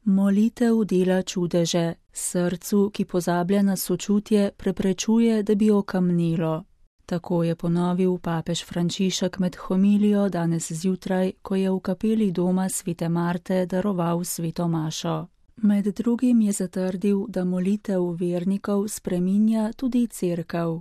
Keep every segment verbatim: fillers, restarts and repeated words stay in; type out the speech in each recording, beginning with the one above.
Molitev dela čudeže, srcu, ki pozablja na sočutje, preprečuje, da bi okamnilo. Tako je ponovil papež Frančišek med homilijo danes zjutraj, ko je v kapeli doma svete Marte daroval sveto mašo. Med drugim je zatrdil, da molitev vernikov spreminja tudi cerkev.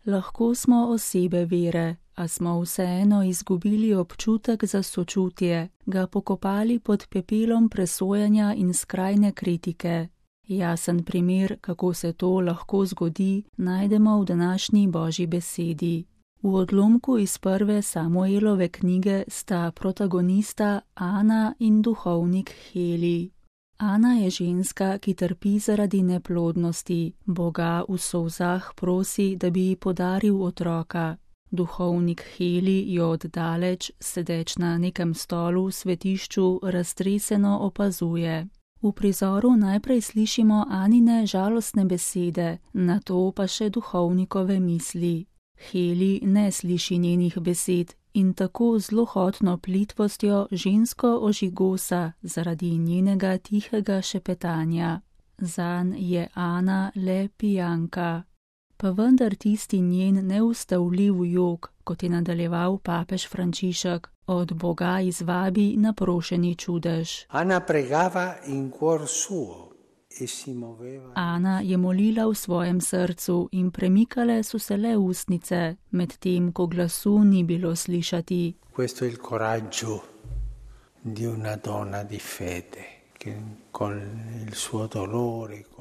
Lahko smo osebe vere, a smo vseeno izgubili občutek za sočutje, ga pokopali pod pepelom presojanja in skrajne kritike. Jasen primer, kako se to lahko zgodi, najdemo v današnji Božji besedi. V odlomku iz prve Samuelove knjige sta protagonista Ana in duhovnik Heli. Ana je ženska, ki trpi zaradi neplodnosti, Boga v solzah prosi, da bi ji podaril otroka. Duhovnik Heli jo oddaleč, sedeč na nekem stolu v svetišču, raztreseno opazuje. V prizoru najprej slišimo Anine žalostne besede, nato pa še duhovnikove misli. Heli ne sliši njenih besed in tako zlohotno plitvostjo žensko ožigosa zaradi njenega tihega šepetanja. Zanj je Ana le pijanka. Pa vendar tisti njen neustavljiv jok, kot je nadaljeval papež Frančišek, od Boga izvabi naprošeni čudež. Ana pregava in cuor suo e si moveva. Ana je molila v svojem srcu in premikale so se le ustnice, medtem ko glasu ni bilo slišati. Questo è il coraggio di una donna di fede.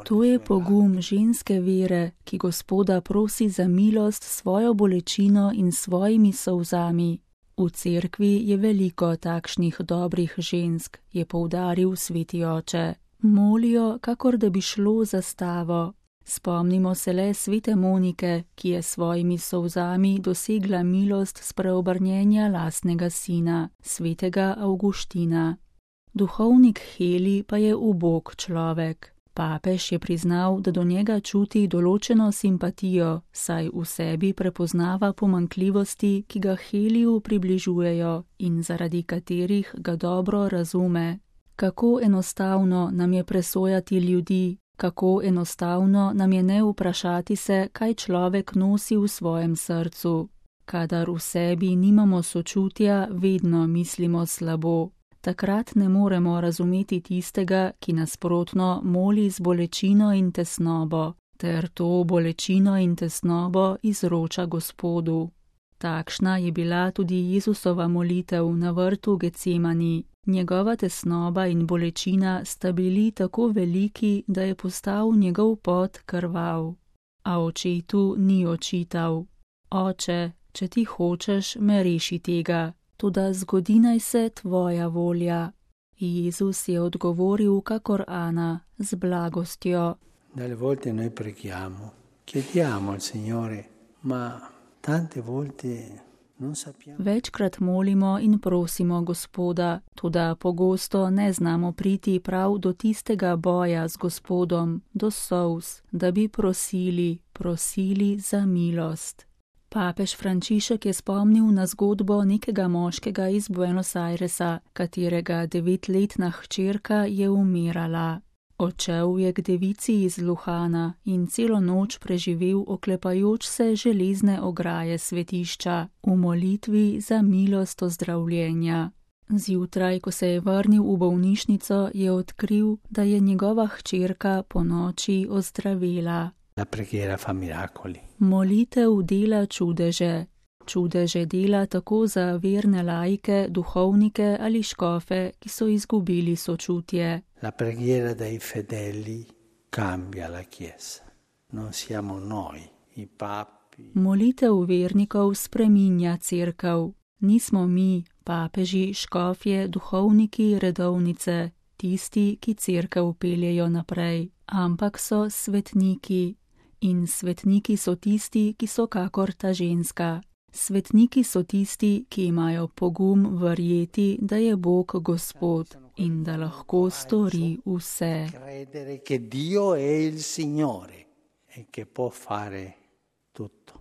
To je pogum ženske vere, ki Gospoda prosi za milost s svojo bolečino in svojimi solzami. V cerkvi je veliko takšnih dobrih žensk, je poudaril sveti oče. Molijo, kakor da bi šlo za stavo. Spomnimo se le svete Monike, ki je svojimi solzami dosegla milost s preobrnjenja lastnega sina, svetega Avguština. Duhovnik Heli pa je ubog človek. Papež je priznal, da do njega čuti določeno simpatijo, saj v sebi prepoznava pomanjkljivosti, ki ga Heliju približujejo in zaradi katerih ga dobro razume. Kako enostavno nam je presojati ljudi, kako enostavno nam je ne vprašati se, kaj človek nosi v svojem srcu. Kadar v sebi nimamo sočutja, vedno mislimo slabo. Takrat ne moremo razumeti tistega, ki nasprotno moli z bolečino in tesnobo, ter to bolečino in tesnobo izroča Gospodu. Takšna je bila tudi Jezusova molitev na vrtu Getsemani. Njegova tesnoba in bolečina sta bili tako veliki, da je postal njegov pot krvav. A očetu ni očital: Oče, če ti hočeš, me reši tega. Toda zgodi naj se tvoja volja. Jezus je odgovoril kakor Ana, z blagostjo. Dalle volte noi preghiamo, chiediamo al Signore, ma tante volte non sappiamo. Večkrat molimo in prosimo Gospoda, toda pogosto ne znamo priti prav do tistega boja z Gospodom, do solz, da bi prosili, prosili za milost. Papež Frančišek je spomnil na zgodbo nekega moškega iz Buenos Airesa, katerega devetletna hčerka je umirala. Odšel je k devici iz Luhana in celo noč preživel oklepajoč se železne ograje svetišča v molitvi za milost ozdravljenja. Zjutraj, ko se je vrnil v bolnišnico, je odkril, da je njegova hčerka po noči ozdravela. La preghiera fa miracoli. Molitev dela čudeže. Čudeže dela tako za verne laike, duhovnike ali škofe, ki so izgubili sočutje. La preghiera dei fedeli cambia la Chiesa. Non siamo noi, i papi. Molitev vernikov spreminja cerkev. Nismo mi, papeži, škofje, duhovniki, redovnice, tisti, ki cerkev peljejo naprej, ampak so svetniki. In svetniki so tisti, ki so kakor ta ženska. Svetniki so tisti, ki imajo pogum verjeti, da je Bog Gospod in da lahko stori vse. Credere che Dio è il Signore e che può fare tutto.